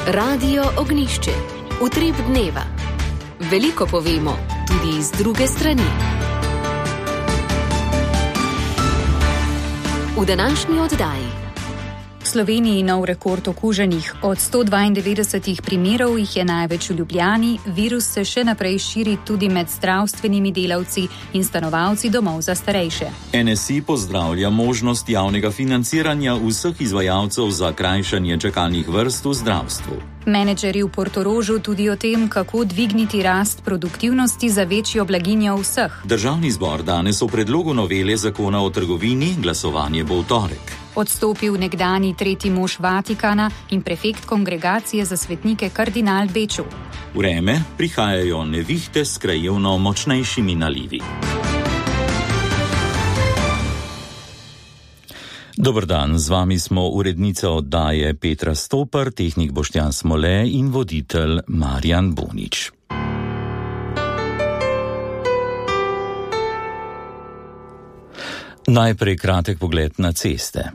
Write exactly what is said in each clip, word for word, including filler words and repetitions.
Radio Ognjišče. Utrip dneva. Veliko povemo, tudi iz druge strani. V današnji oddaji. V Sloveniji nov rekord okuženih. Od sto dvaindevetdeset primerov jih je največ v Ljubljani. Virus se še naprej širi tudi med zdravstvenimi delavci in stanovalci domov za starejše. N S I pozdravlja možnost javnega financiranja vseh izvajalcev za krajšanje čakalnih vrst v zdravstvu. Menedžerji v Portorožu tudi o tem, kako dvigniti rast produktivnosti za večjo blaginjo vseh. Državni zbor danes o predlogu novele zakona o trgovini, glasovanje bo v torek. Odstopil nekdani tretji mož Vatikana in prefekt kongregacije za svetnike kardinal Beču. Vreme, prihajajo nevihte s krajevno močnejšimi nalivi. Dober dan, z vami smo urednica oddaje Petra Stopar, tehnik Boštjan Smole in voditelj Marjan Bonič. Najprej kratek pogled na ceste.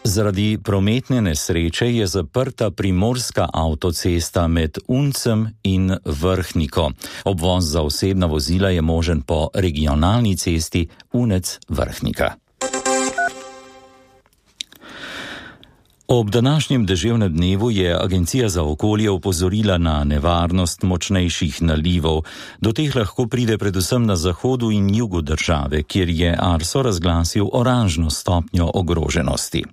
Zaradi prometne nesreče je zaprta primorska avtocesta med Uncem in Vrhniko. Obvoz za osebna vozila je možen po regionalni cesti Unec-Vrhnika. Ob današnjem deževnem dnevu je Agencija za okolje opozorila na nevarnost močnejših nalivov. Do teh lahko pride predvsem na zahodu in jugu države, kjer je Arso razglasil oranžno stopnjo ogroženosti.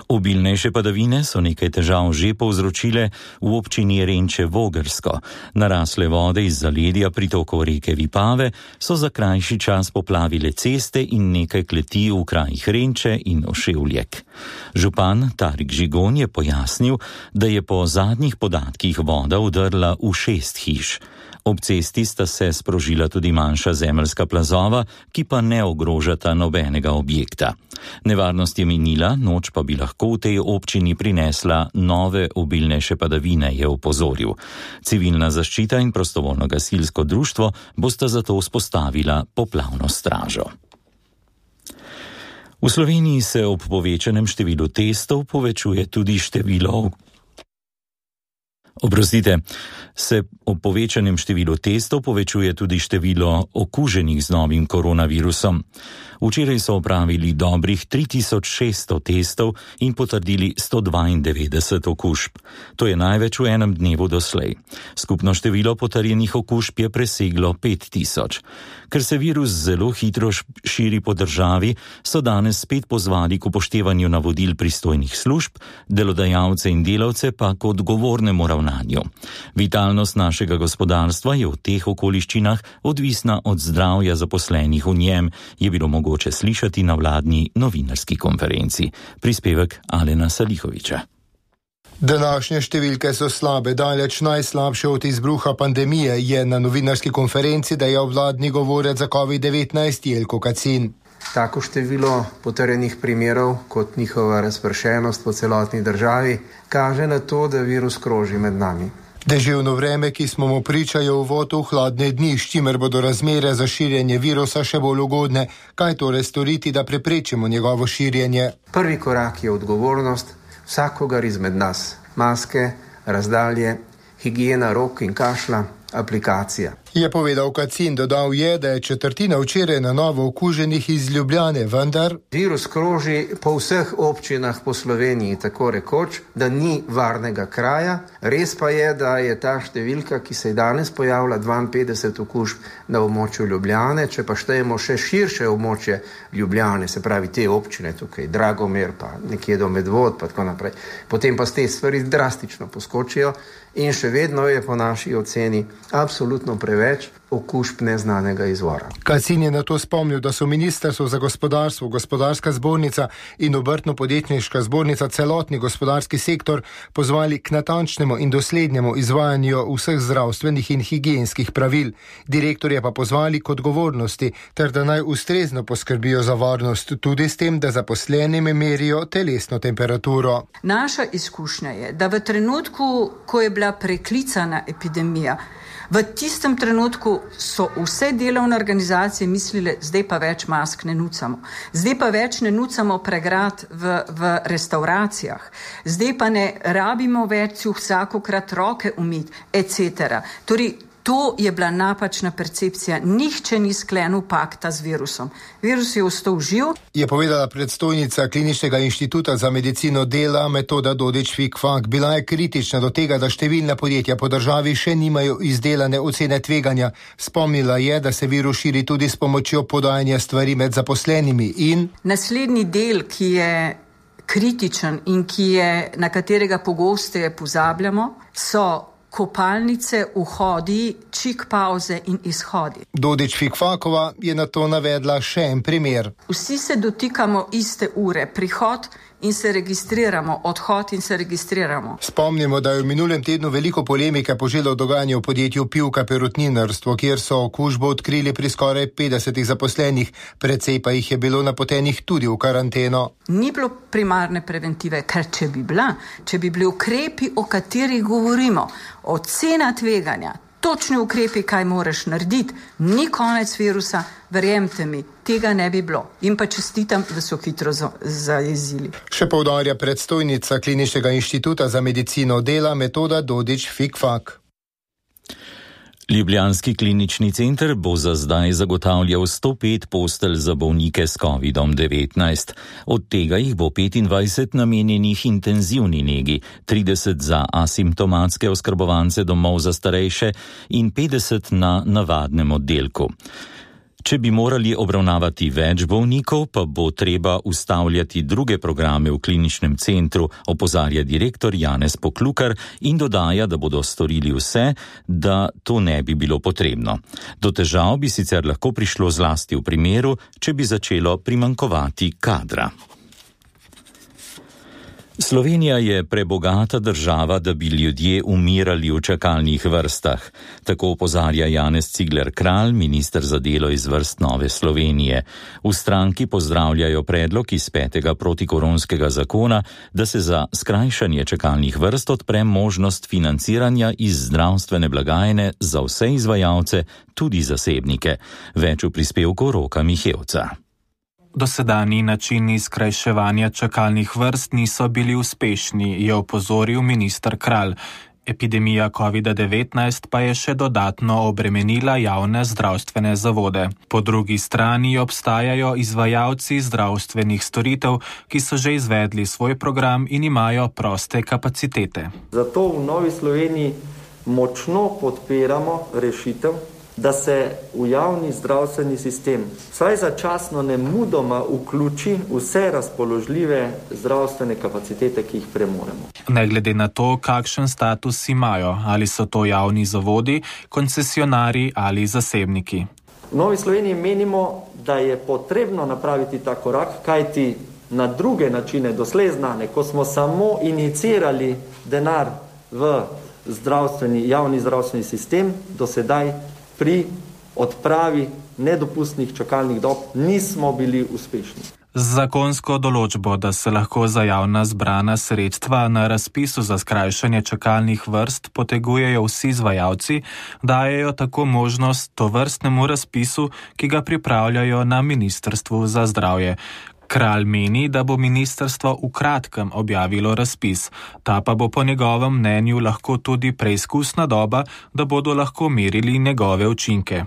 Obilnejše padavine so nekaj težav že povzročile v občini Renče-Vogrsko. Narasle vode iz zaledja pritokov reke Vipave so za krajši čas poplavile ceste in nekaj kleti v krajih Renče in Oševljek. Župan Tarik Žigon je pojasnil, da je po zadnjih podatkih voda vdrla v šest hiš. Ob cesti sta se sprožila tudi manjša zemeljska plazova, ki pa ne ogrožata nobenega objekta. Nevarnost je minila, noč pa bi lahko v tej občini prinesla nove obilnejše padavine, je opozoril. Civilna zaščita in prostovoljno gasilsko društvo bosta zato vzpostavila poplavno stražo. V Sloveniji se ob povečanem številu testov povečuje tudi število Oprostite, se ob povečanem številu testov povečuje tudi število okuženih z novim koronavirusom. Včeraj so opravili dobrih tri tisoč šeststo testov in potrdili sto dvaindevetdeset okužb. To je največ v enem dnevu doslej. Skupno število potrjenih okužb je preseglo pet tisoč. Ker se virus zelo hitro širi po državi, so danes spet pozvali k upoštevanju navodil pristojnih služb, delodajalce in delavce pa k odgovornemu ravnanju. Vitalnost našega gospodarstva je v teh okoliščinah odvisna od zdravja zaposlenih v njem, je bilo mogoče slišati na vladni novinarski konferenci. Prispevek Alena Salihoviča. Današnje številke so slabe, daleč najslabše od izbruha pandemije, je na novinarski konferenci dejal vladni govorec za covid devetnajst Jelko Kacin. Tako število potrjenih primerov kot njihova razpršenost po celotni državi kaže na to, da virus kroži med nami. Deževno vreme, ki smo mu pričajo uvod v hladne dni, s čimer bodo razmere za širjenje virusa še bolj ugodne. Kaj torej storiti, da preprečimo njegovo širjenje? Prvi korak je odgovornost vsakogar izmed nas. Maske, razdalje, higiena rok in kašlja, aplikacija. Je povedal Kacin, dodal je, da je četrtina včeraj na novo okuženih iz Ljubljane, vendar virus kroži po vseh občinah po Sloveniji, tako rekoč, da ni varnega kraja. Res pa je, da je ta številka, ki se je danes pojavila, dvainpetdeset okužb na območju Ljubljane, če pa štejemo še širše območje Ljubljane, se pravi te občine tukaj, Dragomer, pa nekje do Medvod, pa tako naprej. Potem pa te stvari drastično poskočijo in še vedno je po naši oceni absolutno preveč okužb neznanega izvora. Kacin je na to spomnil, da so Ministrstvo za gospodarstvo, Gospodarska zbornica in Obrtno-podjetniška zbornica celotni gospodarski sektor pozvali k natančnemu in doslednjemu izvajanju vseh zdravstvenih in higienskih pravil. Direktorje pa pozvali k odgovornosti, ter da naj ustrezno poskrbijo za varnost, tudi s tem, da zaposlenim merijo telesno temperaturo. Naša izkušnja je, da v trenutku, ko je bila preklicana epidemija, V tistem trenutku so vse delovne organizacije mislile, zdaj pa več mask ne nucamo. Zdaj pa več ne nucamo pregrad v, v restauracijah. Zdaj pa ne rabimo več si vsakokrat roke umiti, et cetera. Torej, to je bila napačna percepcija. Nihče ni sklenil pakta z virusom. Virus je ostal živ. Je povedala predstojnica Kliničnega inštituta za medicino dela Metoda Dodič-Fikfak. Bila je kritična do tega, da številna podjetja po državi še nimajo izdelane ocene tveganja. Spomnila je, da se virus širi tudi s pomočjo podajanja stvari med zaposlenimi in... Naslednji del, ki je kritičen in ki je, na katerega pogosteje pozabljamo, so kopalnice, vhodi, čik pauze in izhodi. Dodič-Fikfakova je na to navedla še en primer. Vsi se dotikamo iste ure, prihod in se registriramo, odhod in se registriramo. Spomnimo, da je v minulem tednu veliko polemike poželo dogajanje v podjetju Pivka perutninarstvo, kjer so okužbo odkrili pri skoraj petdesetih zaposlenih, precej pa jih je bilo napotenih tudi v karanteno. Ni bilo primarne preventive, ker če bi bila, če bi bili ukrepi, o katerih govorimo, ocena tveganja, točni ukrepi, kaj moraš narediti, ni konec virusa, verjemte mi, tega ne bi bilo. In pa čestitam, da so hitro zajezili. Še poudarja predstojnica Kliničnega inštituta za medicino dela Metoda Dodič-Fikfak. Ljubljanski klinični center bo za zdaj zagotavljal sto pet postelj za bolnike s kovidom devetnajst. Od tega jih bo petindvajset namenjenih intenzivni negi, trideset za asimptomatske oskrbovance domov za starejše in petdeset na navadnem oddelku. Če bi morali obravnavati več bolnikov, pa bo treba ustavljati druge programe v kliničnem centru, opozarja direktor Janez Poklukar in dodaja, da bodo storili vse, da to ne bi bilo potrebno. Do težav bi sicer lahko prišlo zlasti v primeru, če bi začelo primanjkovati kadra. Slovenija je prebogata država, da bi ljudje umirali v čakalnih vrstah. Tako opozarja Janez Cigler Kralj, minister za delo iz vrst Nove Slovenije. V stranki pozdravljajo predlog iz petega protikoronskega zakona, da se za skrajšanje čakalnih vrst odpre možnost financiranja iz zdravstvene blagajne za vse izvajalce, tudi zasebnike. Več v prispevku Roka Mihevca. Dosedanji načini skrajševanja čakalnih vrst niso bili uspešni, je opozoril minister Kralj. Epidemija kovida devetnajst pa je še dodatno obremenila javne zdravstvene zavode. Po drugi strani obstajajo izvajalci zdravstvenih storitev, ki so že izvedli svoj program in imajo proste kapacitete. Zato v Novi Sloveniji močno podpiramo rešitev, da se v javni zdravstveni sistem vsaj začasno nemudoma vključi vse razpoložljive zdravstvene kapacitete, ki jih premoremo. Ne glede na to, kakšen status imajo, ali so to javni zavodi, koncesionarji ali zasebniki. V Novi Sloveniji menimo, da je potrebno napraviti ta korak, kajti na druge načine doslej znane, ko smo samo inicirali denar v zdravstveni, javni zdravstveni sistem, do sedaj pri odpravi nedopustnih čakalnih dob nismo bili uspešni. Z zakonsko določbo, da se lahko za javna zbrana sredstva na razpisu za skrajšanje čakalnih vrst potegujejo vsi izvajalci, dajejo tako možnost tovrstnemu razpisu, ki ga pripravljajo na Ministrstvu za zdravje. Kralj meni, da bo ministrstvo v kratkem objavilo razpis. Ta pa bo po njegovem mnenju lahko tudi preizkusna doba, da bodo lahko merili njegove učinke.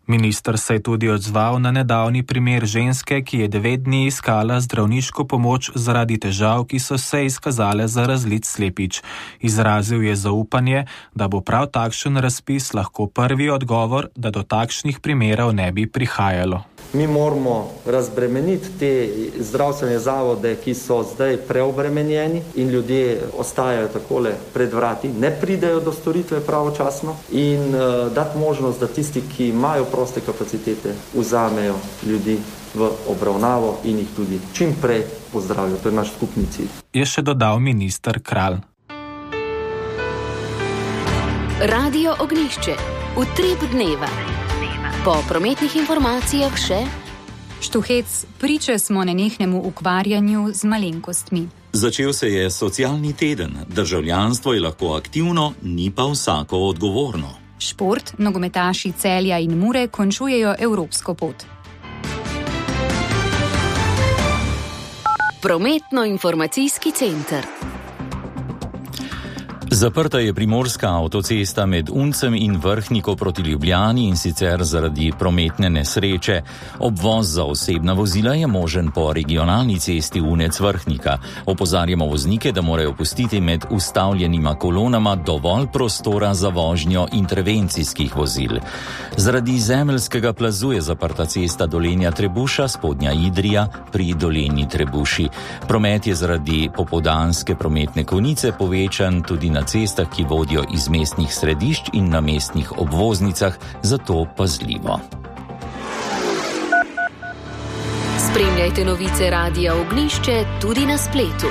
Minister se je tudi odzval na nedavni primer ženske, ki je devet dni iskala zdravniško pomoč zaradi težav, ki so se izkazale za razlit slepič. Izrazil je zaupanje, da bo prav takšen razpis lahko prvi odgovor, da do takšnih primerov ne bi prihajalo. Mi moramo razbremeniti te zdravstvene zavode, ki so zdaj preobremenjeni in ljudje ostajajo takole pred vrati, ne pridejo do storitve pravočasno in uh, dati možnost, da tisti, ki imajo proste kapacitete, vzamejo ljudi v obravnavo in jih tudi čim prej pozdravijo. To je naš skupni cilj. Je še dodal minister Kralj. Radio Ognjišče. Utrip dneva. Po prometnih informacijah še Štuhec, priče smo nenehnemu ukvarjanju z malenkostmi. Začel se je socialni teden. Državljanstvo je lahko aktivno, ni pa vsako odgovorno. Šport, nogometaši Celja in Mure končujejo evropsko pot. Prometno-informacijski center. Zaprta je primorska avtocesta med Uncem in Vrhniko proti Ljubljani, in sicer zaradi prometne nesreče. Obvoz za osebna vozila je možen po regionalni cesti Unec-Vrhnika. Opozarjamo voznike, da morajo pustiti med ustavljenima kolonama dovolj prostora za vožnjo intervencijskih vozil. Zaradi zemeljskega plazu je zaprta cesta Dolenja-Trebuša, Spodnja Idrija pri Dolenji Trebuši. Promet je zaradi popoldanske prometne konice povečan tudi na cestah, ki vodijo iz mestnih središč in na mestnih obvoznicah, zato pazljivo. Spremljajte novice Radia Ognjišče tudi na spletu.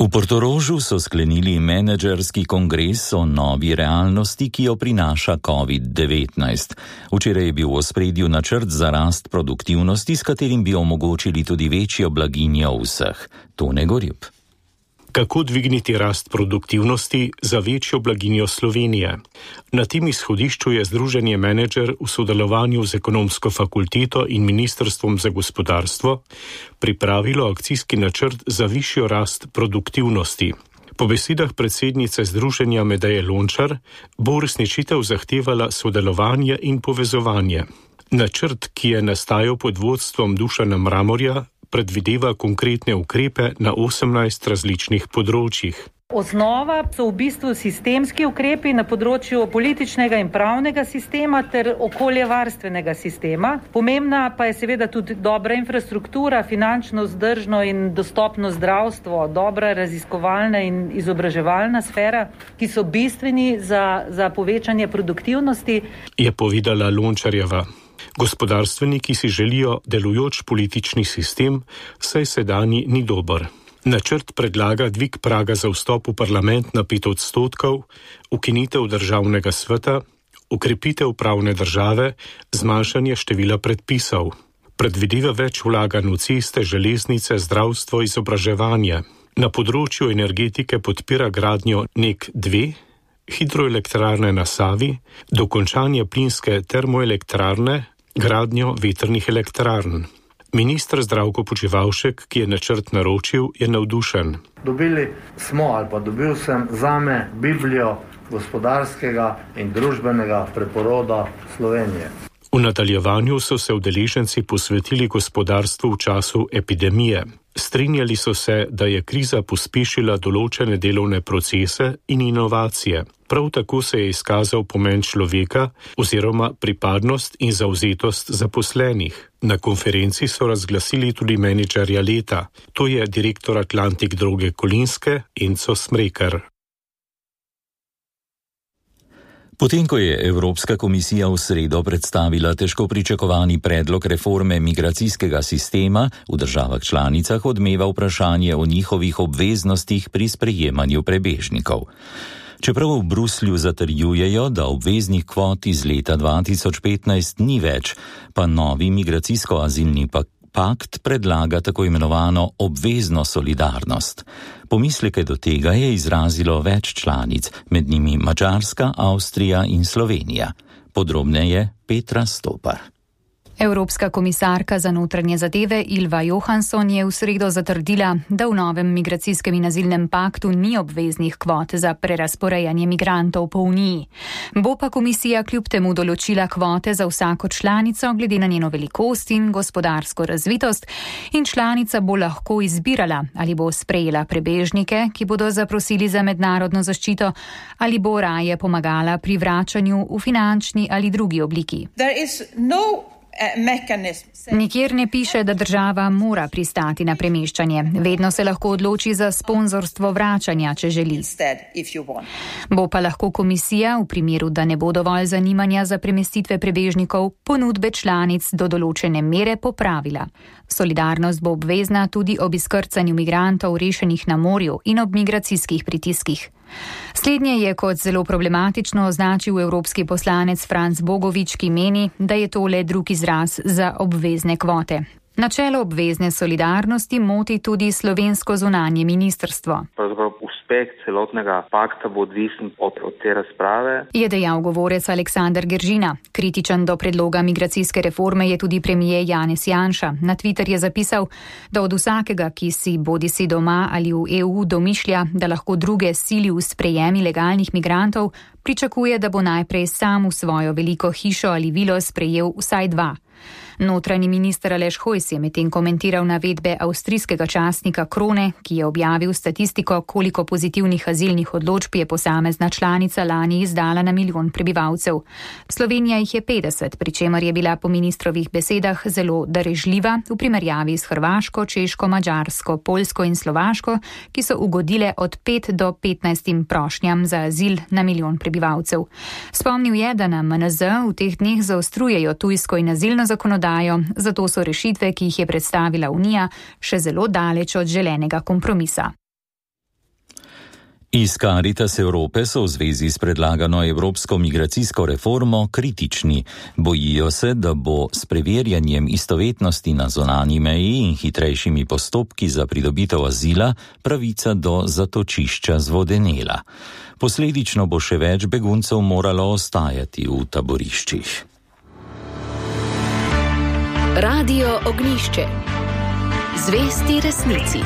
V Portorožu so sklenili menedžerski kongres o novi realnosti, ki jo prinaša covid devetnajst. Včeraj je bil v ospredju načrt za rast produktivnosti, s katerim bi omogočili tudi večjo blaginjo vseh. Tone Gorjup. Kako dvigniti rast produktivnosti za večjo blaginjo Slovenije? Na tem izhodišču je Združenje Menedžer v sodelovanju z Ekonomsko fakulteto in Ministrstvom za gospodarstvo pripravilo akcijski načrt za višjo rast produktivnosti. Po besedah predsednice Združenja Medeje Lončar bo uresničitev zahtevala sodelovanje in povezovanje. Načrt, ki je nastajal pod vodstvom Dušana Mramorja, predvideva konkretne ukrepe na osemnajst različnih področjih. Osnova so v bistvu sistemski ukrepi na področju političnega in pravnega sistema ter okoljevarstvenega sistema. Pomembna pa je seveda tudi dobra infrastruktura, finančno vzdržno in dostopno zdravstvo, dobra raziskovalna in izobraževalna sfera, ki so bistveni za, za povečanje produktivnosti. Je povedala Lončarjeva. Gospodarstveniki si želijo delujoč politični sistem, saj sedanji ni dober. Načrt predlaga dvig praga za vstop v parlament na pet odstotkov, ukinitev državnega sveta, ukrepitev pravne države, zmanjšanje števila predpisov. Predvideva več vlaganj v ceste, železnice, zdravstvo, izobraževanje. Na področju energetike podpira gradnjo N E K dve, hidroelektrarne na Savi, dokončanje plinske termoelektrarne, gradnjo vetrnih elektrarn. Minister Zdravko Počivalšek, ki je načrt naročil, je navdušen. Dobili smo ali pa dobil sem zame Biblijo gospodarskega in družbenega preporoda Slovenije. V nadaljevanju so se udeleženci posvetili gospodarstvu v času epidemije. Strinjali so se, da je kriza pospešila določene delovne procese in inovacije. Prav tako se je izkazal pomen človeka oziroma pripadnost in zavzetost zaposlenih. Na konferenci so razglasili tudi menedžerja leta. To je direktor Atlantik Droge Kolinske Enzo Smrekar. Potem, ko je Evropska komisija v sredo predstavila težko pričakovani predlog reforme migracijskega sistema, v državah članicah odmeva vprašanje o njihovih obveznostih pri sprejemanju prebežnikov. Čeprav v Bruslju zatrjujejo, da obveznih kvot iz leta dva tisoč petnajst ni več, pa novi migracijsko-azilni pakt predlaga tako imenovano obvezno solidarnost. Pomisleke do tega je izrazilo več članic, med njimi Madžarska, Avstrija in Slovenija. Podrobneje Petra Stopar. Evropska komisarka za notranje zadeve Ylva Johansson je v sredo zatrdila, da v novem migracijskem in azilnem paktu ni obveznih kvot za prerasporejanje migrantov po Uniji. Bo pa komisija kljub temu določila kvote za vsako članico glede na njeno velikost in gospodarsko razvitost in članica bo lahko izbirala, ali bo sprejela prebežnike, ki bodo zaprosili za mednarodno zaščito, ali bo raje pomagala pri vračanju v finančni ali drugi obliki. Nikjer ne piše, da država mora pristati na premeščanje. Vedno se lahko odloči za sponzorstvo vračanja, če želi. Bo pa lahko komisija, v primeru, da ne bo dovolj zanimanja za premestitve prebežnikov, ponudbe članic do določene mere popravila. Solidarnost bo obvezna tudi ob izkrcanju migrantov rešenih na morju in ob migracijskih pritiskih. Slednje je kot zelo problematično označil evropski poslanec Franc Bogovič, ki meni, da je to le drug izraz za obvezne kvote. Načelo obvezne solidarnosti moti tudi slovensko zunanje ministrstvo. Pravzaprav uspeh celotnega pakta bo odvisen od, od te razprave. Je dejal govorec Aleksander Geržina. Kritičen do predloga migracijske reforme je tudi premijer Janez Janša. Na Twitter je zapisal, da od vsakega, ki si bodisi doma ali v E U domišlja, da lahko druge sili v sprejem ilegalnih migrantov, pričakuje, da bo najprej sam v svojo veliko hišo ali vilo sprejel vsaj dva. Notranji minister Aleš Hojs je medtem komentiral navedbe avstrijskega časnika Krone, ki je objavil statistiko, koliko pozitivnih azilnih odločb je posamezna članica lani izdala na milijon prebivalcev. Slovenija jih je petdeset, pri čemer je bila po ministrovih besedah zelo darežljiva v primerjavi s Hrvaško, Češko, Madžarsko, Poljsko in Slovaško, ki so ugodile od pet do petnajst prošnjam za azil na milijon prebivalcev. Spomnil je, da na M N Z v teh dneh zaostrujejo tujsko in azilno zakonodajo, zato so rešitve, ki jih je predstavila Unija, še zelo daleč od želenega kompromisa. Iz Caritas Evrope so v zvezi s predlagano evropsko migracijsko reformo kritični. Bojijo se, da bo s preverjanjem istovetnosti na zunanji meji in hitrejšimi postopki za pridobitev azila pravica do zatočišča zvodenela. Posledično bo še več beguncev moralo ostajati v taboriščih. Radio Ognjišče. Zvesti resnici.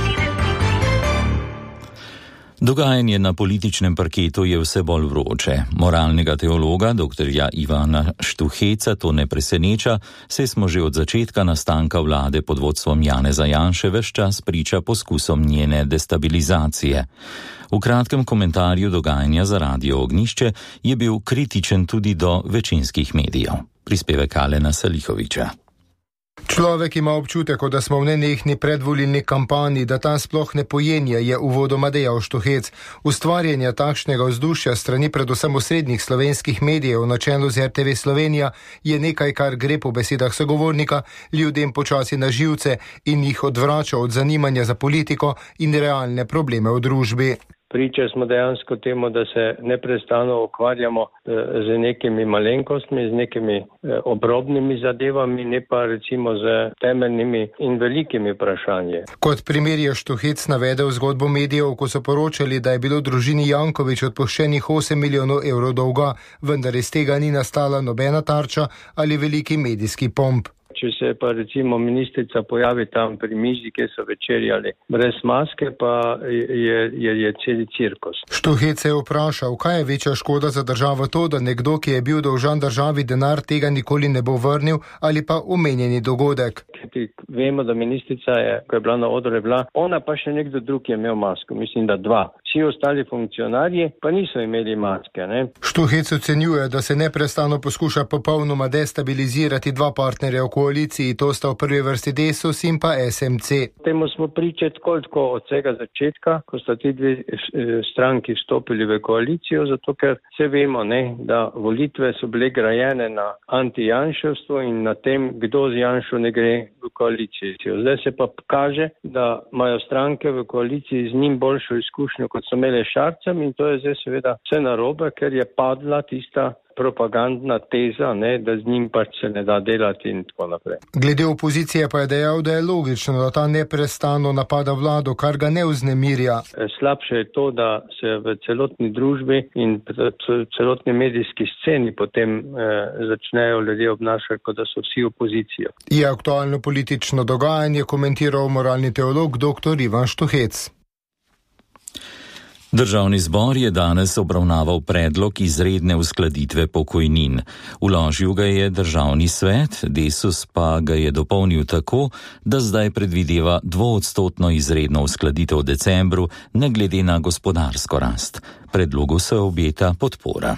Dogajanje na političnem parketu je vse bolj vroče. Moralnega teologa, doktorja Ivana Štuheca, to ne preseneča, saj smo že od začetka nastanka vlade pod vodstvom Janeza Janše ves čas priča poskusom njene destabilizacije. V kratkem komentarju dogajanja za Radio Ognjišče je bil kritičen tudi do večinskih medijev. Prispevek Alena Salihoviča. Človek ima občutek, da smo v nenehni predvolilni kampanji, da ta sploh ne pojenja, je uvodoma dejal Štuhec. Ustvarjanje takšnega vzdušja strani predvsem osrednjih slovenskih medijev na čelu z R T V Slovenija je nekaj, kar gre po besedah sogovornika ljudem počasi na živce in jih odvrača od zanimanja za politiko in realne probleme v družbi. Priča smo dejansko temu, da se neprestano ukvarjamo z nekimi malenkostmi, z nekimi obrobnimi zadevami, ne pa recimo z temeljnimi in velikimi vprašanji. Kot primer je Štuhec navedel zgodbo medijev, ko so poročali, da je bilo družini Janković odpuščenih osem milijonov evrov dolga, vendar iz tega ni nastala nobena tarča ali veliki medijski pomp. Če se pa recimo ministrica pojavi tam pri mizi, kjer so večerjali brez maske, pa je, je, je celi cirkus. Štuhec se je vprašal, kaj je večja škoda za državo to, da nekdo, ki je bil dolžan državi denar, tega nikoli ne bo vrnil, ali pa omenjeni dogodek. Vemo, da ministrica je, ko je bila na odru, je bila, ona pa še nekdo drug je imel masko, mislim, da dva. Vsi ostali funkcionarji pa niso imeli maske. Ne? Štuhec ocenjuje, da se neprestano poskuša popolnoma destabilizirati dva partnerja v koaliciji, to sta v prvi vrsti Desus in pa S M C. Temu smo pričali tako od vsega začetka, ko sta ti dve stranki vstopili v koalicijo, zato ker se vemo, ne, da volitve so bile grajene na anti-janševstvo in na tem, kdo z Janšo ne gre v koalicijo. Zdaj se pa kaže, da imajo stranke v koaliciji z njim boljšo izkušnjo, kot so imeli Šarcem, in to je zdaj seveda vse narobe, ker je padla tista propagandna teza, ne, da z njim pač se ne da delati in tako naprej. Glede opozicije pa je dejal, da je logično, da ta neprestano napada vlado, kar ga ne vznemirja. Slabše je to, da se v celotni družbi in celotni medijski sceni potem eh, začnejo ljudje obnašati, kot da so vsi opozicija. Je aktualno politično dogajanje komentiral moralni teolog dr. Ivan Štuhec. Državni zbor je danes obravnaval predlog izredne uskladitve pokojnin. Vložil ga je Državni svet, Desus pa ga je dopolnil tako, da zdaj predvideva dvoodstotno izredno uskladitev v decembru, ne glede na gospodarsko rast. Predlogu se obeta podpora.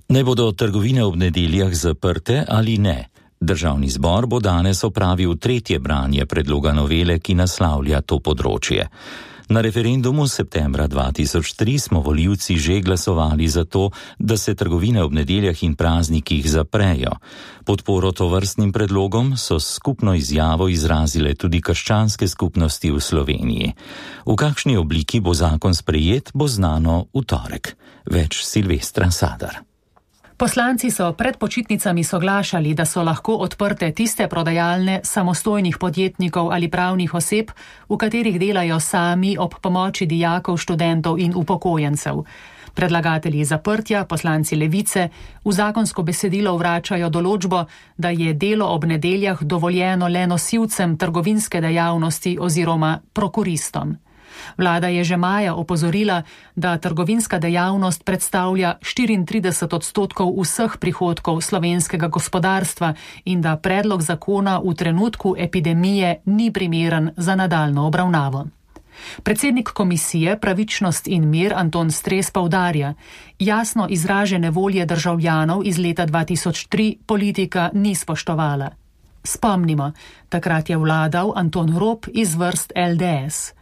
Naj bodo trgovine ob nedeljah zaprte ali ne? Državni zbor bo danes opravil tretje branje predloga novele, ki naslavlja to področje. Na referendumu septembra dva tisoč tri smo volivci že glasovali za to, da se trgovine ob nedeljah in praznikih zaprejo. Podporo tovrstnim predlogom so skupno izjavo izrazile tudi krščanske skupnosti v Sloveniji. V kakšni obliki bo zakon sprejet, bo znano v torek. Več Silvestra Sadar. Poslanci so pred počitnicami soglašali, da so lahko odprte tiste prodajalne samostojnih podjetnikov ali pravnih oseb, v katerih delajo sami ob pomoči dijakov, študentov in upokojencev. Predlagatelji zaprtja, poslanci Levice, v zakonsko besedilo vračajo določbo, da je delo ob nedeljah dovoljeno le nosilcem trgovinske dejavnosti oziroma prokuristom. Vlada je že maja opozorila, da trgovinska dejavnost predstavlja štiriintrideset odstotkov vseh prihodkov slovenskega gospodarstva in da predlog zakona v trenutku epidemije ni primeren za nadaljnjo obravnavo. Predsednik komisije Pravičnost in mir Anton Stres poudarja, jasno izražene volje državljanov iz leta dva tisoč tri politika ni spoštovala. Spomnimo, takrat je vladal Anton Rop iz vrst L D S.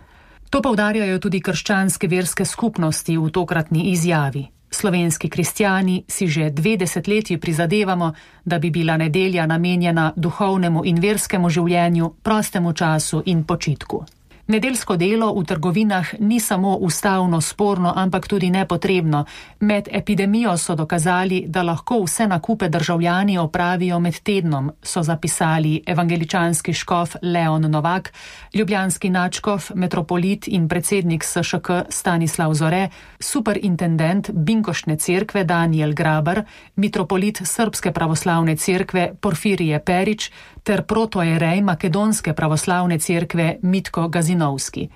To poudarjajo tudi krščanske verske skupnosti v tokratni izjavi. Slovenski kristjani si že dve desetletji prizadevamo, da bi bila nedelja namenjena duhovnemu in verskemu življenju, prostemu času in počitku. Nedeljsko delo v trgovinah ni samo ustavno sporno, ampak tudi nepotrebno. Med epidemijo so dokazali, da lahko vse nakupe državljani opravijo med tednom, so zapisali evangeličanski škof Leon Novak, ljubljanski nadškof, metropolit in predsednik S Š K Stanislav Zore, superintendent Binkoštne cerkve Daniel Grabar, mitropolit Srpske pravoslavne cerkve Porfirije Perić ter protoerej Makedonske pravoslavne cerkve Mitko Gazinovski.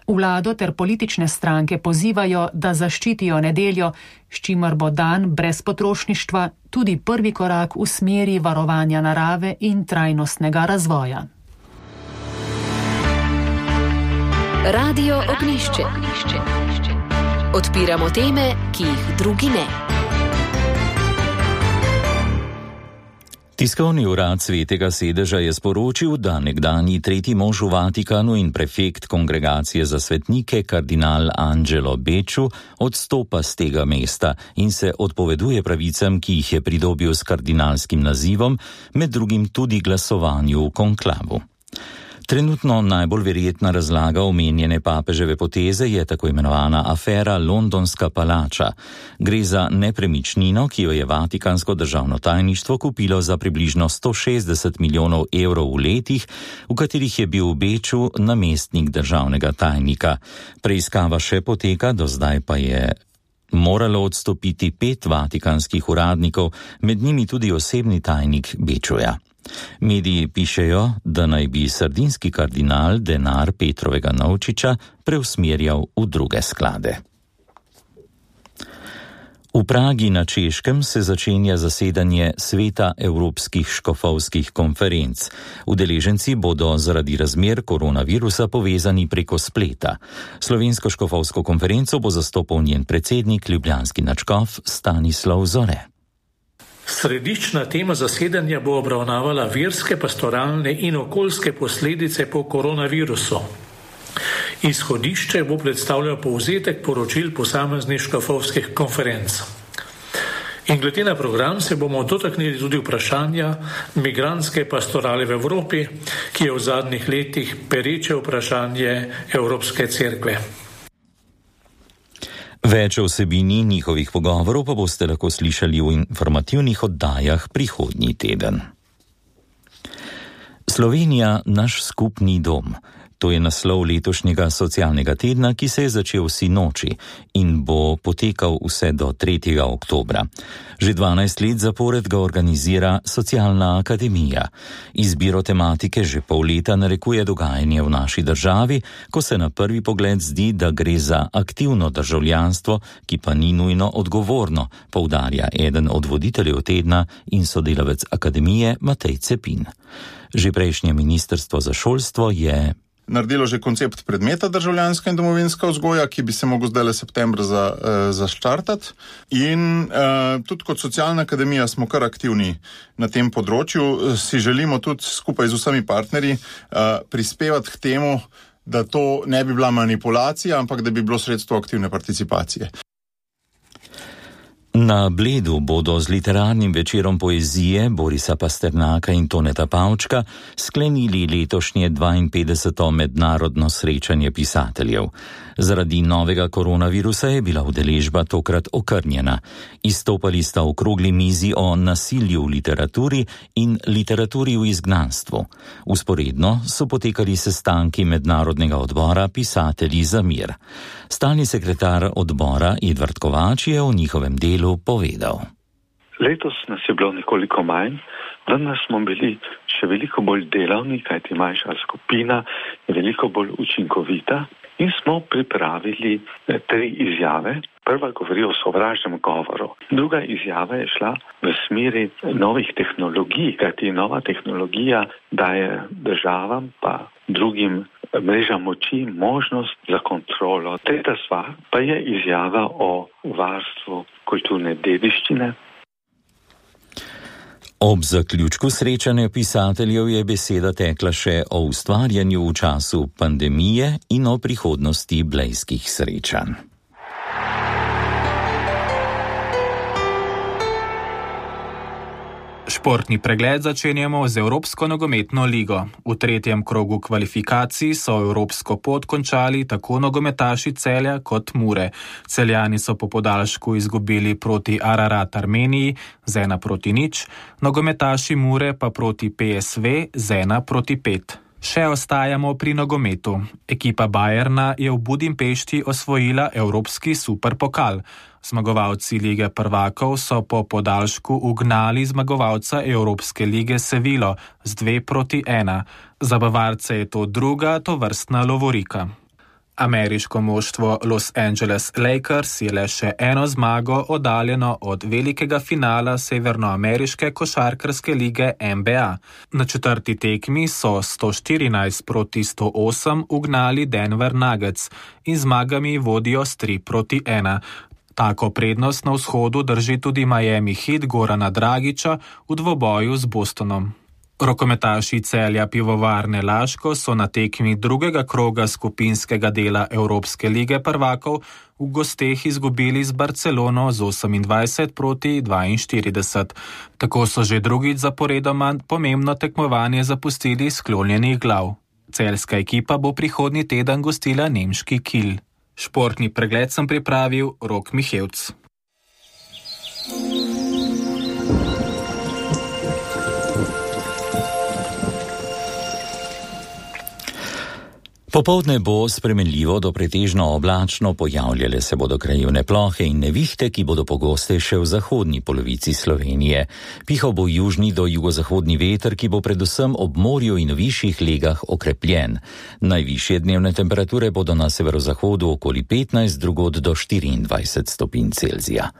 Vlado ter politične stranke pozivajo, da zaščitijo nedeljo, s čimer bo dan brez potrošništva tudi prvi korak v smeri varovanja narave in trajnostnega razvoja. Radio Ognjišče. Odpiramo teme, ki jih drugi ne. Tiskovni urad Svetega sedeža je sporočil, da nekdanji tretji mož v Vatikanu in prefekt Kongregacije za svetnike kardinal Angelo Becciu odstopa z tega mesta in se odpoveduje pravicam, ki jih je pridobil s kardinalskim nazivom, med drugim tudi glasovanju v konklavu. Trenutno najbolj verjetna razlaga omenjene papeževe poteze je tako imenovana afera Londonska palača. Gre za nepremičnino, ki jo je Vatikansko državno tajništvo kupilo za približno sto šestdeset milijonov evrov v letih, v katerih je bil v Beču namestnik državnega tajnika. Preiskava še poteka, do zdaj pa je moralo odstopiti pet vatikanskih uradnikov, med njimi tudi osebni tajnik Bečuja. Mediji pišejo, da naj bi sardinski kardinal denar Petrovega Novčiča preusmerjal v druge sklade. V Pragi na Češkem se začenja zasedanje Sveta evropskih škofovskih konferenc. Udeleženci bodo zaradi razmer koronavirusa povezani preko spleta. Slovensko škofovsko konferenco bo zastopal njen predsednik, ljubljanski nadškof Stanislav Zore. Središčna tema zasedanja bo obravnavala verske, pastoralne in okoljske posledice po koronavirusu. Izhodišče bo predstavljal povzetek poročil posameznih škofovskih konferenc. In glede na program se bomo dotaknili tudi vprašanja migrantske pastorale v Evropi, ki je v zadnjih letih pereče vprašanje Evropske cerkve. Več o vsebini njihovih pogovorov pa boste lahko slišali v informativnih oddajah prihodnji teden. Slovenija, naš skupni dom. To je naslov letošnjega socialnega tedna, ki se je začel sinoči in bo potekal vse do tretjega oktobra. Že dvanajst let zapored ga organizira Socialna akademija. Izbiro tematike že pol leta narekuje dogajanje v naši državi, ko se na prvi pogled zdi, da gre za aktivno državljanstvo, ki pa ni nujno odgovorno, poudarja eden od voditeljev tedna in sodelavec akademije Matej Cepin. Že prejšnje ministrstvo za šolstvo je naredilo že koncept predmeta državljanska in domovinska vzgoja, ki bi se mogel zdaj le septembra za, eh, zaštartati. In eh, tudi kot Socialna akademija smo kar aktivni na tem področju. Si želimo tudi skupaj z vsemi partnerji eh, prispevati k temu, da to ne bi bila manipulacija, ampak da bi bilo sredstvo aktivne participacije. Na Bledu bodo z literarnim večerom poezije Borisa Pasternaka in Toneta Pavčka sklenili letošnje dvainpetdeseto mednarodno srečanje pisateljev. Zaradi novega koronavirusa je bila udeležba tokrat okrnjena. Izstopali sta okrogli mizi o nasilju v literaturi in literaturi v izgnanstvu. Usporedno so potekali sestanki mednarodnega odbora Pisatelji za mir. Stalni sekretar odbora Edvard Kovač je o njihovem delu povedal. Letos nas je bilo nekoliko manj, vendar smo bili še veliko bolj delavni, kajti manjša skupina je veliko bolj učinkovita in smo pripravili tri izjave. Prva govori o sovražnem govoru. Druga izjava je šla v smeri novih tehnologij, kajti nova tehnologija daje državam pa drugim mrežam moči možnost za kontrolo. Tretja stvar pa je izjava o varstvu kulturne dediščine. Ob zaključku srečanja pisateljev je beseda tekla še o ustvarjanju v času pandemije in o prihodnosti blejskih srečanj. Športni pregled začenjamo z Evropsko nogometno ligo. V tretjem krogu kvalifikacij so evropsko pot končali tako nogometaši Celja kot Mure. Celjani so po podaljšku izgubili proti Ararat Armeniji z ena proti nič, nogometaši Mure pa proti P S V z ena proti pet. Še ostajamo pri nogometu. Ekipa Bayerna je v Budimpešti osvojila Evropski superpokal. Zmagovalci lige prvakov so po podaljšku ugnali zmagovalca Evropske lige Sevilo z dve proti ena. Za Bavarce je to druga tovrstna lovorika. Ameriško moštvo Los Angeles Lakers je le še eno zmago oddaljeno od velikega finala severnoameriške košarkarske lige N B A. Na četrti tekmi so sto štirinajst proti sto osem ugnali Denver Nuggets in zmagami vodijo s tri proti ena. Tako prednost na vzhodu drži tudi Miami Heat Gorana Dragića v dvoboju z Bostonom. Rokometaši Celja Pivovarne Laško so na tekmi drugega kroga skupinskega dela Evropske lige prvakov v gosteh izgubili z Barcelono z osemindvajset proti dvainštirideset. Tako so že drugič zaporedoma pomembno tekmovanje zapustili sklonjenih glav. Celjska ekipa bo prihodnji teden gostila nemški Kiel. Športni pregled sem pripravil Rok Mihevc. Popoldne bo spremenljivo do pretežno oblačno, pojavljale se bodo krajevne plohe in nevihte, ki bodo pogostejše v zahodni polovici Slovenije. Pihal bo južni do jugozahodni veter, ki bo predvsem ob morju in višjih legah okrepljen. Najvišje dnevne temperature bodo na severozahodu okoli petnajst, drugod do štiriindvajset stopinj Celzija.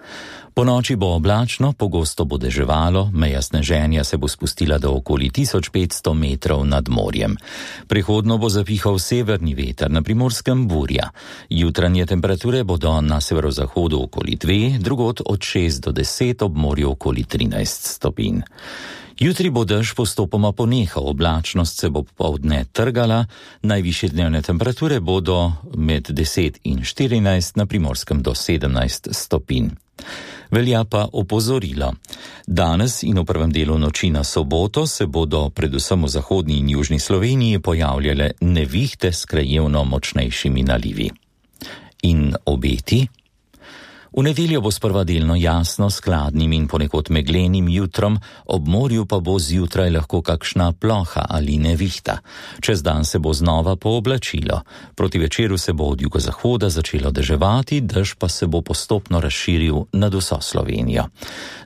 Po noči bo oblačno, pogosto bo deževalo, meja sneženja se bo spustila do okoli tisoč petsto metrov nad morjem. Prehodno bo zapihal severni veter, na Primorskem burja. Jutranje temperature bodo na severozahodu okoli dve, drugod od šest do deset, ob morju okoli trinajst stopinj. Jutri bo dež postopoma ponehal, oblačnost se bo popoldne trgala, najvišje dnevne temperature bodo med deset in štirinajst, na Primorskem do sedemnajst stopinj. Velja pa opozorilo. Danes in v prvem delu noči na soboto se bodo predvsem v zahodni in južni Sloveniji pojavljale nevihte s krajevno močnejšimi nalivi. In obeti? V nedeljo bo sprva delno jasno s hladnim in ponekod meglenim jutrom, ob morju pa bo zjutraj lahko kakšna ploha ali nevihta. Čez dan se bo znova pooblačilo. Proti večeru se bo od jugozahoda začelo deževati, dež pa se bo postopno razširil nad vso Slovenijo.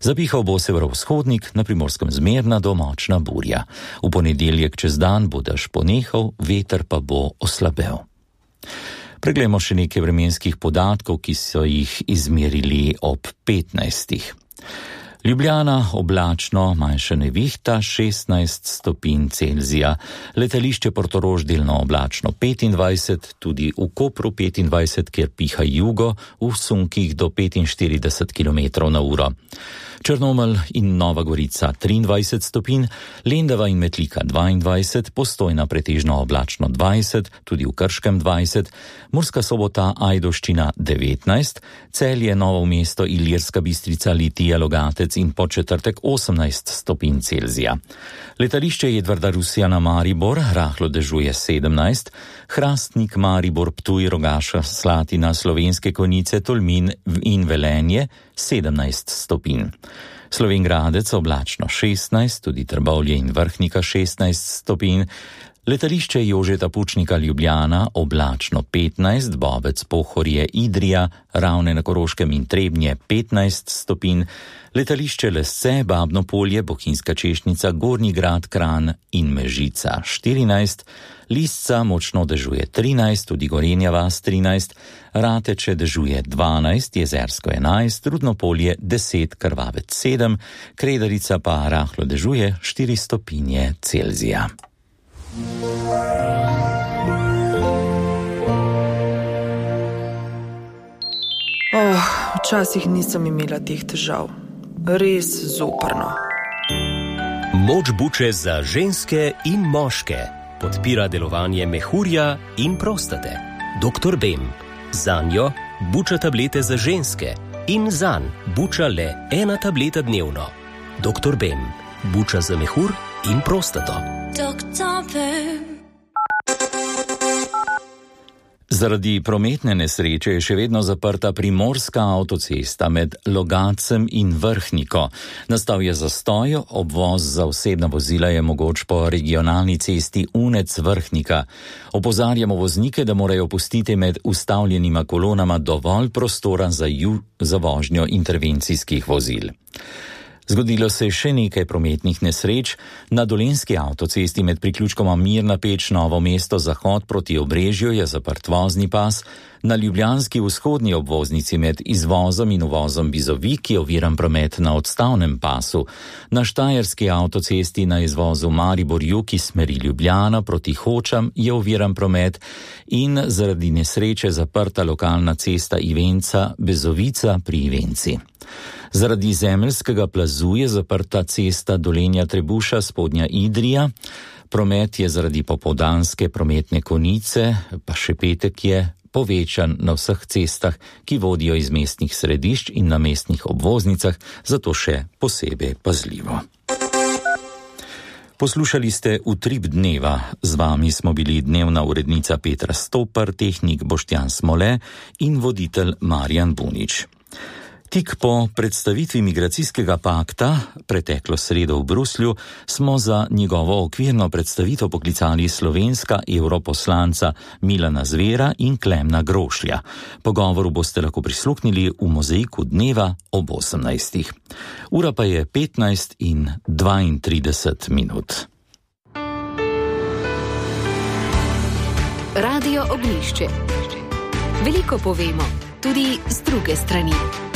Zapihal bo severovzhodnik, na Primorskem zmerna do močna burja. V ponedeljek čez dan bo dež ponehal, veter pa bo oslabel. Preglejmo še nekaj vremenskih podatkov, ki so jih izmerili ob petnajstih. Ljubljana oblačno, manjša nevihta, šestnajst stopinj Celzija. Letališče Portorož delno oblačno, petindvajset, tudi v Kopru petindvajset, kjer piha jugo, v sunkih do petinštirideset kilometrov na uro. Črnomelj in Nova Gorica triindvajset stopinj, Lendava in Metlika dvaindvajset, Postojna pretežno oblačno dvajset, tudi v Krškem dvajset, Murska Sobota, Ajdovščina devetnajst, Celje, Novo mesto, Ilirska Bistrica, Litija, Logatec in Podčetrtek osemnajst stopinj Celzija. Letališče Edvarda Rusjana Maribor rahlo dežuje sedemnajst, Hrastnik, Maribor, Ptuj, Rogaša, Slatina, Slovenske Konjice, Tolmin in Velenje sedemnajst stopinj. Slovenj Gradec oblačno šestnajst, tudi Trbovlje in Vrhnika šestnajst stopinj, letališče Jožeta Pučnika Ljubljana oblačno petnajst, Bobec, Pohorje, Idrija, Ravne na Koroškem in Trebnje petnajst stopinj, letališče Lesce, Babno Polje, Bohinjska Češnica, Gornji Grad, Kranj in Mežica štirinajst, Lisca močno dežuje trinajst, tudi Gorenja vas trinajst, Rateče dežuje dvanajst, Jezersko enajst, Rudno Polje deset, Krvavec sedem, Kredarica pa rahlo dežuje štiri stopinje Celzija. Oh, včasih nisem imela teh težav. Res zoprno. Moč buče za ženske in moške. Podpira delovanje mehurja in prostate. doktor Bem. Zanjo buča tablete za ženske in zanj buča le ena tableta dnevno. doktor Bem. Buča za mehur in prostato. doktor Bem. Zaradi prometne nesreče je še vedno zaprta primorska avtocesta med Logatcem in Vrhniko. Nastal je zastoj, obvoz za osebna vozila je mogoč po regionalni cesti Unec-Vrhnika. Opozarjamo voznike, da morajo pustiti med ustavljenima kolonama dovolj prostora za, ju, za vožnjo intervencijskih vozil. Zgodilo se je še nekaj prometnih nesreč. Na Dolenjski avtocesti med priključkoma Mirna Peč Novo mesto Zahod proti Obrežju je zaprt vozni pas, na ljubljanski vzhodni obvoznici med izvozom in uvozom Bizovik je oviran promet na odstavnem pasu, na štajerski avtocesti na izvozu Maribor-Jug iz smeri Ljubljana proti Hočam je oviran promet in zaradi nesreče zaprta lokalna cesta Ivenca-Bezovica pri Ivenci. Zaradi zemeljskega plazu je zaprta cesta Dolenja-Trebuša spodnja Idrija, promet je zaradi popoldanske prometne konice, pa še petek je povečan na vseh cestah, ki vodijo iz mestnih središč in na mestnih obvoznicah, zato še posebej pazljivo. Poslušali ste Utrip dneva, z vami smo bili dnevna urednica Petra Stopar, tehnik Boštjan Smole in voditelj Marjan Bunič. Tik po predstavitvi migracijskega pakta, preteklo sredo v Bruslju, smo za njegovo okvirno predstavitev poklicali slovenska europoslanca Milana Zvera in Klemna Grošlja. Pogovoru boste lahko prisluhnili v Mozaiku dneva ob osemnajstih. Ura pa je petnajst in dvaintrideset minut. Radio Ognjišče. Veliko povemo, tudi z druge strani.